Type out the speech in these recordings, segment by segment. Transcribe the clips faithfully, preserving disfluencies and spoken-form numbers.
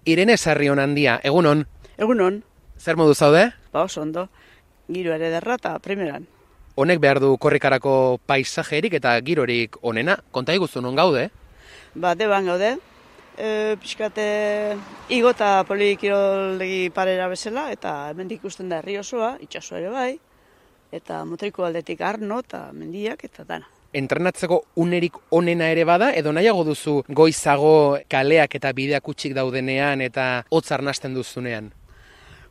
Irene Sarrion handia, egunon? Egunon. Zer modu zaude? Ba, oso ondo. Giro ere derra eta primeran. Honek behar du korrikarako paisajerik eta girorik onena. Konta iguzu non gaude? Ba, deban gaude. E, pixkate igo eta polikiroldegi parera bezala, eta hemendik ikusten da herri osoa, itsaso ere bai, eta motriko aldetik Arno eta mendiak eta dana. Entrenatzeko unerik onena ere bada, edo nahiago duzu goizago kaleak eta bideak utxik daudenean eta hotz arnasten duzunean?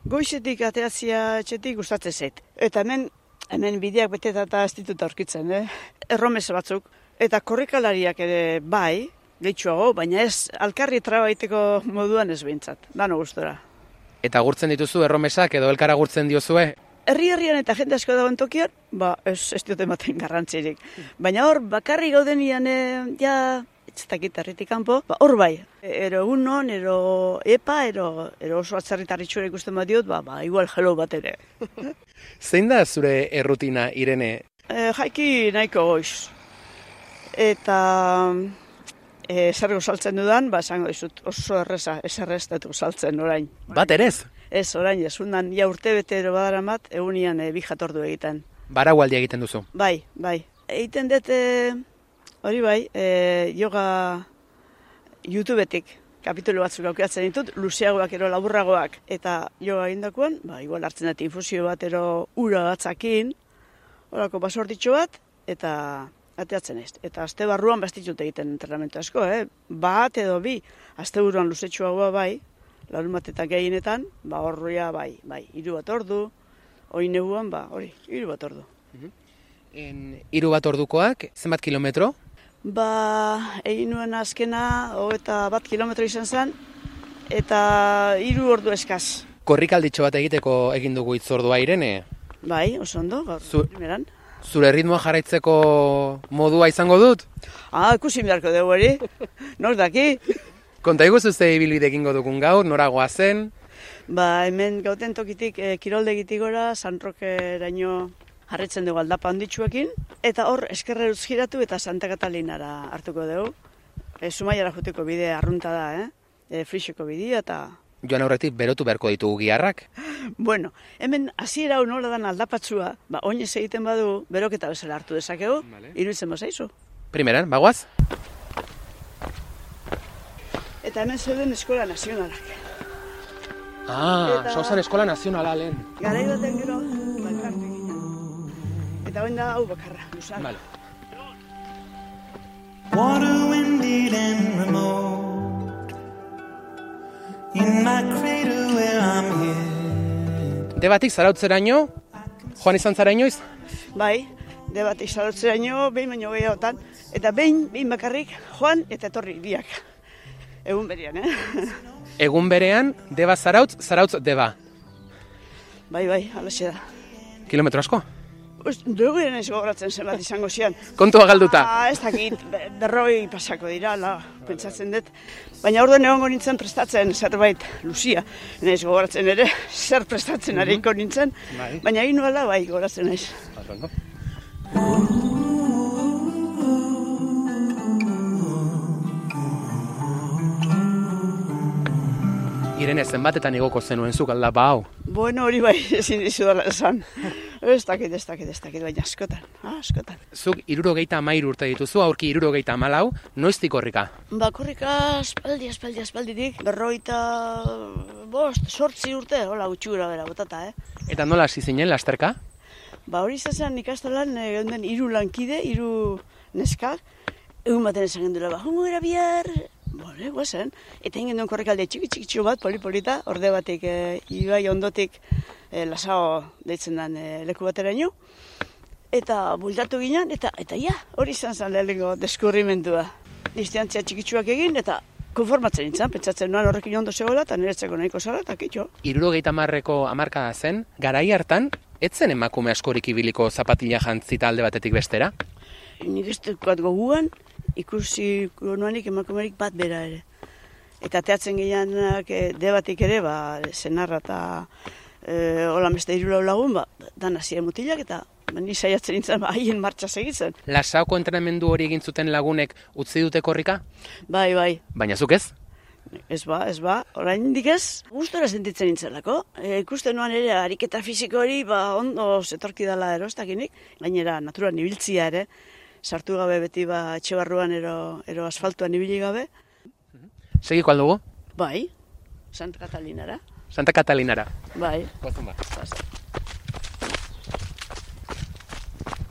Goizetik ateatzia etxetik gustatzen zait. Eta hemen, hemen bideak beteta eta ez ditut aurkitzen, eh? Erromes batzuk. Eta korrikalariak ere bai, gehitxuago, baina ez alkarri trabaiteko moduan ez behintzat, dano gustora. Eta gurtzen dituzu erromesak edo elkara gurtzen diozue? Herri-herrian eta jende asko dagoen tokian, ba, ez, ez dut ematen garrantzirik. Baina hor, bakarri gaudenian, e, ja, ez dakit herritik kanpo, ba, hor bai. Ero egunon, ero epa, ero, ero oso atzarritarritxura ikusten bat diot, ba, ba, igual hello bat ere. Zein da zure errutina, Irene? E, jaiki nahiko goiz. Eta e, zer saltzen dudan, ba, esango dizut, oso erreza, ez erreztetu saltzen orain. Bat erez? Ez, orain, ez undan, ja urte betero badaramat, egunian e, bi jatordu egiten. Baraualdi egiten duzu? Bai, bai. Egiten dut, e, hori bai, e, yoga YouTubetik kapitulu batzuk aukeatzen ditut, luzeagoak ero laburragoak. Eta yoga egindakoan, ba, igual hartzen dut infusio bat ero ura batzakin, horako basortitxo bat, eta ateatzen ez. Eta aste barruan bastitut egiten entrenamentu asko, eh? Bat edo bi, aste buruan luzetxoagoa bai, larun bat eta gehienetan, ba horria bai, bai, hiru bat ordu, hori neguan, ba, hori, hiru bat ordu. En, hiru bat ordukoak, zenbat kilometro? Ba, egin nuen azkena, hogeita bat kilometro izan zen, eta hiru ordu eskaz. Korrikalditxo bat egiteko egin dugu itzordua, Irene? Bai, oso ondo, gaur, Zu... primeran. Zure ritmoa jarraitzeko modua izango dut? Ah, ikusi beharko dugu hori, nor daki? Konta iguzu ze ibilbide egingo dugun gaur, noragoa zen? Ba, hemen gauten tokitik, e, kiroldegitik gora, San Rokeraino jarritzen dugu aldapa handitsuekin, eta hor eskerreruz giratu eta Santa Katalinara hartuko dugu. E, Zumaiara juteko bide arrunta da, eh? E, Frixeko bidea eta... Joan aurretik berotu beharko ditugu giharrak? Bueno, hemen hasiera hau nola dan aldapatzua, ba, oinez egiten badu, beroketa bezala hartu dezakegu, vale. Iruditzen bazaizu. Primeran, bagoaz? Eta hemen zeuden Eskola Nazionalak. Ah, eta... Sauzan Eskola Nazionala lehen. Garai baten gero, balkartu egin. Eta oin da hau bakarra, luzan. Vale. Water, windy and remote, in my cradle where I'm here. Debatik zarautzeraino, joan izan zara inoiz? Bai, debatik zarautzeraino, behin baino gehiagotan, eta behin, behin bakarrik, joan eta etorri biak. Egun berean, eh? Egun berean, deba zarautz, zarautz deba. Bai, bai, alaxe da. Kilometro asko? Dugu eren ez gogoratzen zenbat izango zian. Kontua galduta? Ah, ez dakit, berroi pasako dira, la, pentsatzen dut. Baina orduan egongo nintzen prestatzen zerbait, Lucia. Naiz gogoratzen ere, zer prestatzen hariko nintzen. Bai. Baina egin nuela, bai, gogoratzen naiz. Irene, zenbatetan igoko zenuen zuk aldapa hau? Bueno, hori bai, ezin dizu dela esan. Ez dakit, ez dakit, ez dakit, baina askotan, askotan. Zuk hirurogeita hamairu urte dituzu, aurki hirurogeita hamalau, noiztik korrika? Ba, korrika aspaldi, aspaldi, aspalditik, berroita bost, sortzi urte, hola gutxura bera, botata, eh? Eta nola hasi zinen lasterka? Ba, hori izan ikastolan, egon den hiru lankide, hiru neskak, egun baten esan gendula, ba, jongo gara bihar, bole, guazen, eta egin duen korrekalde txiki-txikitxo bat, polipolita, orde batik, e, ibai ondotik, e, lasao deitzen den e, leku bateraino, eta buldatu ginen, eta eta ja, hori izan zen lehenengo deskurrimentua. Distantzia txikitsuak egin, eta konformatzen nintzen, pentsatzen noan horrekin ondo zegoela, eta niretzeko nahiko zara, eta kitxo. Hirurogeita hamarreko hamarkada zen, garai hartan, etzen emakume askorik ibiliko zapatila jantzita alde batetik bestera? Nik ez dukat goguan, ikusi nuanik emakumerik bat bera ere. Eta teatzen gehianak e, debatik ere, ba, zenarra eta e, hola beste hiru lau lagun, ba, dan hasia mutilak eta ba, ni saiatzen nintzen ba, haien martxa segitzen. Lasauko entrenamendu hori egin zuten lagunek utzi dute korrika? Bai, bai. Baina zuk ez? Ez ba, ez ba, oraindik ez, gustora sentitzen nintzelako. E, ikusten nuan ere, ariketa fisiko hori, ba, ondo zetorki dela ero, ez dakinik. Gainera, naturan ibiltzia ere, sartu gabe beti, ba, etxe barruan ero, ero asfaltuan ibili gabe. Segiko aldugu? Bai, Santa Katalinara. Santa Katalinara. Bai. Gozun ba.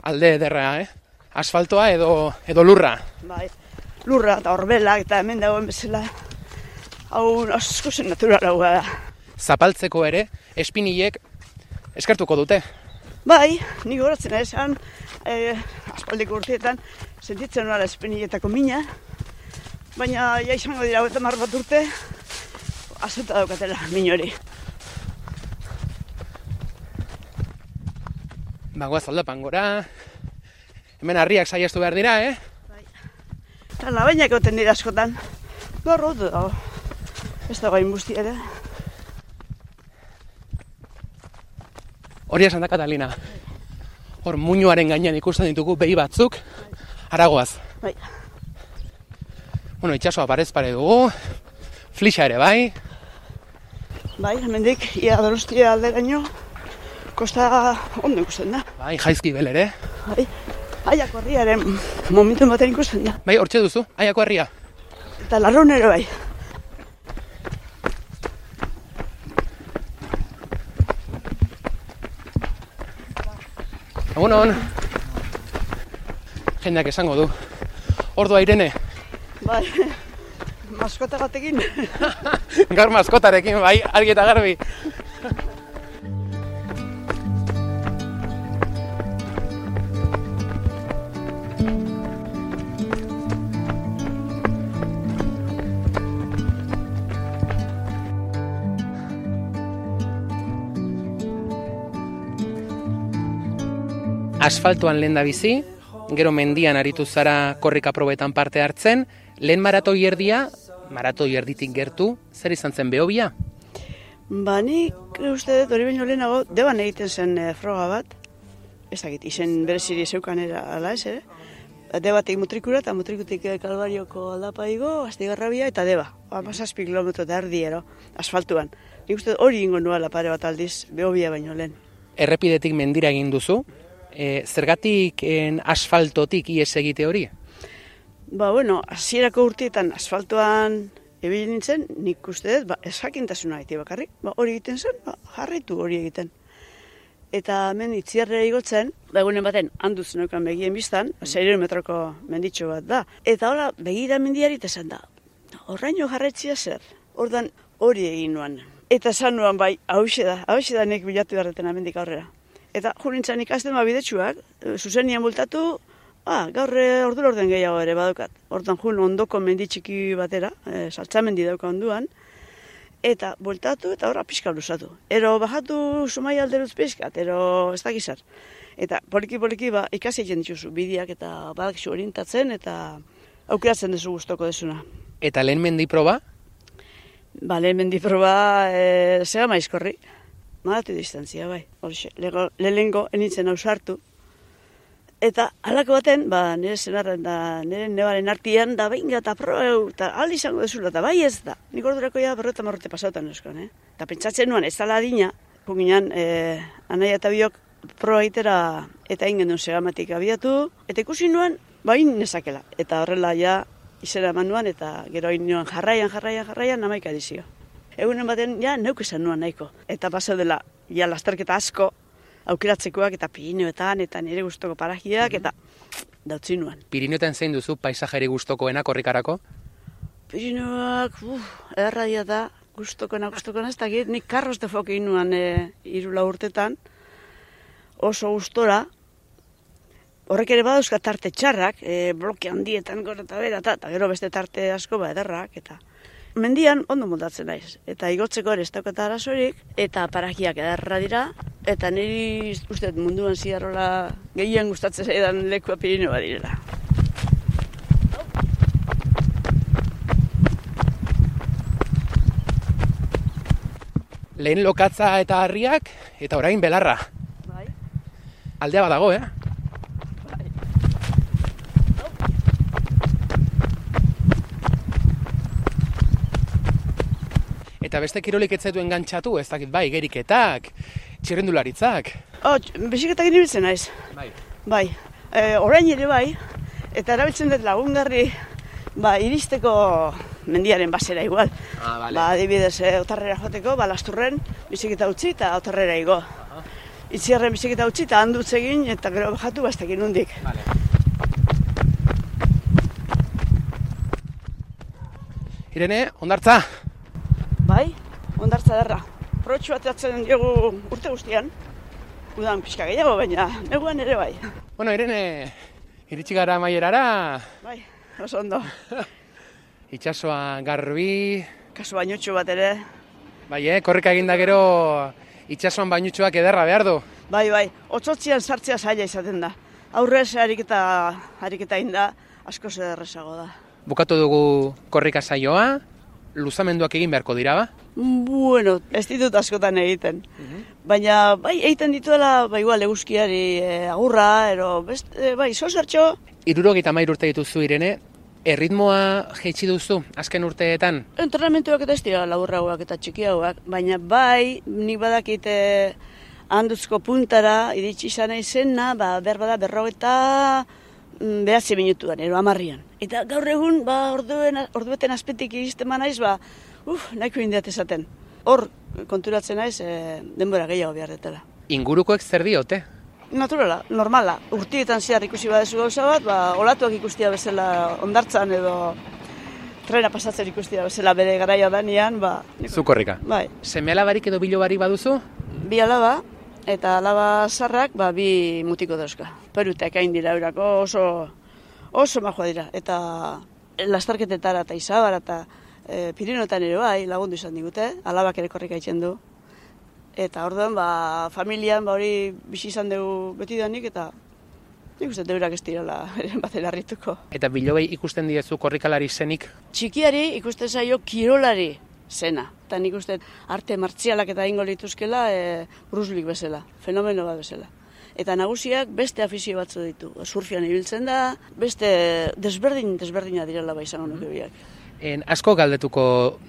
Alde ederra, eh? Asfaltoa edo, edo lurra. Bai, lurra eta horbelak eta hemen dagoen bezala. Hau asko zen naturalagoa da. Zapaltzeko ere, espinilek eskertuko dute. Bai, nik horatzen esan, eh, aspaldiko urteetan, sentitzen nuala espiniletako mina, baina ja izango dira eta mar bat urte, azuta daukatela min hori. Bagoaz aldapan gora, hemen harriak saiestu behar dira, eh? Bai. Eta labainak goten dira askotan, barrotu dago. Ez dago inbusti ere. Hori Santa Catalina. Hor muinoaren gainean ikusten ditugu behi batzuk, haragoaz. Bai. Bueno, itxasoa parez pare dugu, flixa ere bai. Bai, hemendik ia Donostia alderaino, kosta ondo ikusten da. Bai, jaizki bel ere. Bai, Aiako herriaren momentu baten ikusten da. Bai, hortxe duzu, Aiako herria. Eta Larraun ere bai. Egunon. Jendeak esango du. Ordua Irene. Bai, maskota batekin. Gaur maskotarekin, bai, argi eta garbi. Asfaltoan lehen da bizi, gero mendian aritu zara korrika probetan parte hartzen, lehen maratoi erdia, maratoi erditik gertu, zer izan zen behobia? Ba, nik uste dut hori baino lehenago, deban egiten zen e, froga bat, ezagit, izen bereziri zeukan era ala ez, ere? Debatik mutrikura eta mutrikutik Kalbarioko aldapaigo, Astigarrabia eta deba. Amazazpi kilometro eta erdiero, asfaltuan. Nik uste dut hori ingo nuela pare bat aldiz, behobia baino lehen. Errepidetik mendira egin duzu, e, zergatik en asfaltotik ies egite hori? Ba, bueno, hasierako urteetan asfaltoan ebili nintzen, nik uste dut, ba, esakintasuna egite bakarrik. Ba, hori egiten zen, ba, jarraitu hori egiten. Eta hemen itziarrera igotzen, ba, egunen baten handuz neukan begien biztan, seiehun metroko menditxo bat da. Eta hola, begira mendiari eta esan da, horraino jarraitzia zer, ordan hori egin nuan. Eta esan nuan, bai, hauxe da, hauxe da nik bilatu beharreten amendik aurrera. Eta jurintzan ikasten ba bidetsuak, zuzenian bultatu, ah, gaur ordura orden gehiago ere badukat. Hortan jun ondoko mendi txiki batera, e, saltzamendi dauka onduan, eta bultatu eta horra pixka luzatu. Ero bajatu sumai alderuz pixkat, ero ez dakizar. Eta poliki-poliki ba, ikasi egin dituzu bideak eta badakizu orientatzen eta aukeratzen duzu gustoko desuna. Eta lehen mendi proba? Ba, lehen mendi proba e, zega maizkorri. Maratu distantzia, bai. Horixe, lehengo enitzen ausartu. Eta halako baten, ba, nire zenarren da, nire nebaren artian, da behinga eta proeu, eta aldi izango dezula, eta bai ez da. Nik ordurako ja berreta marrote pasautan euskon, eh? Eta pentsatzen nuan, ez dala adina, punginan, eh, anaia eta biok proa itera, eta ingen duen segamatik abiatu, eta ikusi nuan, ba, nezakela. Eta horrela ja, izena eman nuan, eta gero hain nuan jarraian, jarraian, jarraian, namaika dizio. Egunen baten, ja, neuk esan nuan nahiko. Eta pasau dela, ja, lasterketa asko, aukeratzekoak eta Pirineoetan, eta nire gustoko parajiak, eta dautzi nuan. Pirineoetan zein duzu paisajeri gustokoena korrikarako? Pirineoak, uf, erradia da, gustokoena, gustokoena, ez dakit, nik Carros de Foc egin nuan e, irula urtetan, oso gustora, horrek ere badauzka tarte txarrak, e, bloke handietan gora eta bera, eta gero beste tarte asko ba ederrak, eta mendian ondo moldatzen naiz, eta igotzeko ere ez daukat arazorik, eta parajiak ederra dira, eta niri uste munduan ziarrola gehien gustatzen zaidan lekua Pirineo direla. Lehen lokatza eta harriak, eta orain belarra. Bai. Aldea badago, eh? Eta beste kirolik ez zaitu engantzatu, ez dakit bai, geriketak, txirrindularitzak. Oh, biziketak inibiltzen naiz. Bai. Bai, e, orain ere bai, eta erabiltzen dut lagungarri ba, iristeko mendiaren basera igual. Ah, vale. Ba, adibidez, e, otarrera joateko, ba, lasturren biziketa utzi eta otarrera igo. Itziarren biziketa utzi eta handutz egin eta gero bajatu baztekin hundik. Vale. Irene, hondartza? Bai, hondartza derra. Protxu bateatzen diogu urte guztian. Udan pixka gehiago, baina neguan ere bai. Bueno, Irene, iritsi gara amaierara. Bai, oso ondo. Itxasoa garbi. Kasu bainutxu bat ere. Bai, eh, korrika eginda gero itxasoan bainutxoak ederra behar du. Bai, bai, otzotzian sartzea zaila izaten da. Aurrez ariketa, ariketa inda asko zederrezago da. Bukatu dugu korrika saioa, luzamenduak egin beharko dira, ba? Bueno, ez ditut askotan egiten. Baina, bai, egiten dituela, bai, igual, eguzkiari e, agurra, ero, best, e, bai, zozertxo. Hirurogeita hamairu urte dituzu, Irene, erritmoa jaitsi duzu azken urteetan? Entrenamentuak eta ez dira laburragoak eta txikiagoak, baina bai, nik badakite handuzko puntara iritsi izan izena, ba, behar bada berrogeta behatzi minutuan, ero amarrian. Eta gaur egun, ba, orduen, ordueten azpetik iristen ba naiz, ba, uf, nahiko indiat esaten. Hor, konturatzen naiz, e, denbora gehiago behar detela. Ingurukoek zer diote? Naturala, normala. Urtietan zehar ikusi badezu gauza bat, ba, olatuak ikustia bezala hondartzan edo trena pasatzen ikustia bezala bere garaia danean, ba... Zu korrika. Bai. Seme alabarik edo bilobarik baduzu? Bi alaba, eta alaba zarrak, ba, bi mutiko dauzka. Perutek hain dira eurako oso, oso majoa dira. Eta lastarketetara eta izabara eta e, Pirinoetan ere bai lagundu izan digute, alabak ere korrika itzen du. Eta orduan, ba, familian, ba, hori bizi izan dugu beti danik, eta nik uste deurak ez direla eren batera harrituko. Eta bilobei ikusten diezu korrikalari zenik? Txikiari ikusten zaio kirolari zena. Eta nik uste arte martzialak eta ingo lituzkela e, Bruce Lee bezala, fenomeno bat bezala. Eta nagusiak beste afizio batzu ditu. Surfian ibiltzen da, beste desberdin, desberdina direla bai izango nuke biak. En, asko galdetuko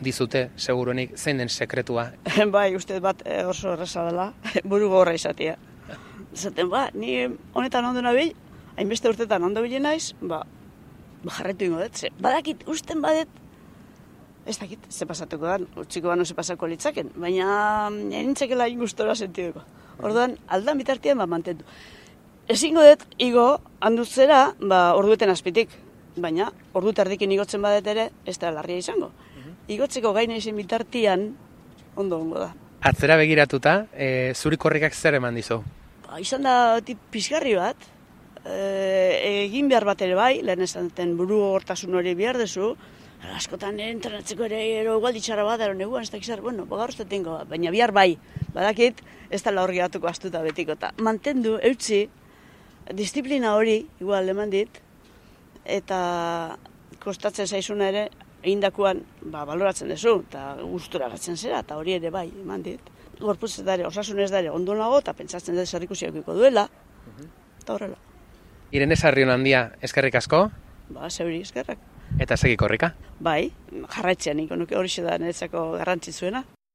dizute, seguruenik, zein den sekretua? Bai, uste bat e, oso erraza dela, buru gogorra izatea. Zaten, ba, ni honetan ondo nabil, hainbeste urtetan ondo bilen naiz, ba, ba jarretu ingo dut, ze, badakit, usten badet, ez dakit, ze pasatuko da, utxiko bano ze pasako litzaken, baina nintzekela ingustora sentiduko. Orduan, aldan bitartian, ba, mantendu. Ezingo dut, igo, handutzera, ba, ordueten azpitik, baina, ordu tardikin igotzen badet ere, ez da larria izango. Igotzeko gaina izan bitartian, ondo ongo da. Atzera begiratuta, e, zuri korrikak zer eman dizu? Ba, izan da tip pizgarri bat, e, egin behar bat ere bai, lehen esan duten buru hortasun hori behar dezu, askotan entrenatzeko ere ero igualditxara bat, ero neguan ez dakizar, bueno, bogar uste tengo, baina bihar bai, badakit, ez da hor gehatuko astuta betiko, eta mantendu, eutzi, disiplina hori, igual eman dit, eta kostatzen zaizuna ere, egindakoan ba, baloratzen duzu, eta gustura gatzen zera, eta hori ere bai, eman dit. Gorputz ez dare, osasun ez dare, ondo nago, eta pentsatzen dut zerrikusiakiko duela, eta horrela. Irene Sarrion handia, eskerrik asko? Ba, zeuri eskerrak. Eta segi korrika? Bai, jarraitzen, niko nuke hori da niretzako garrantzitzuena.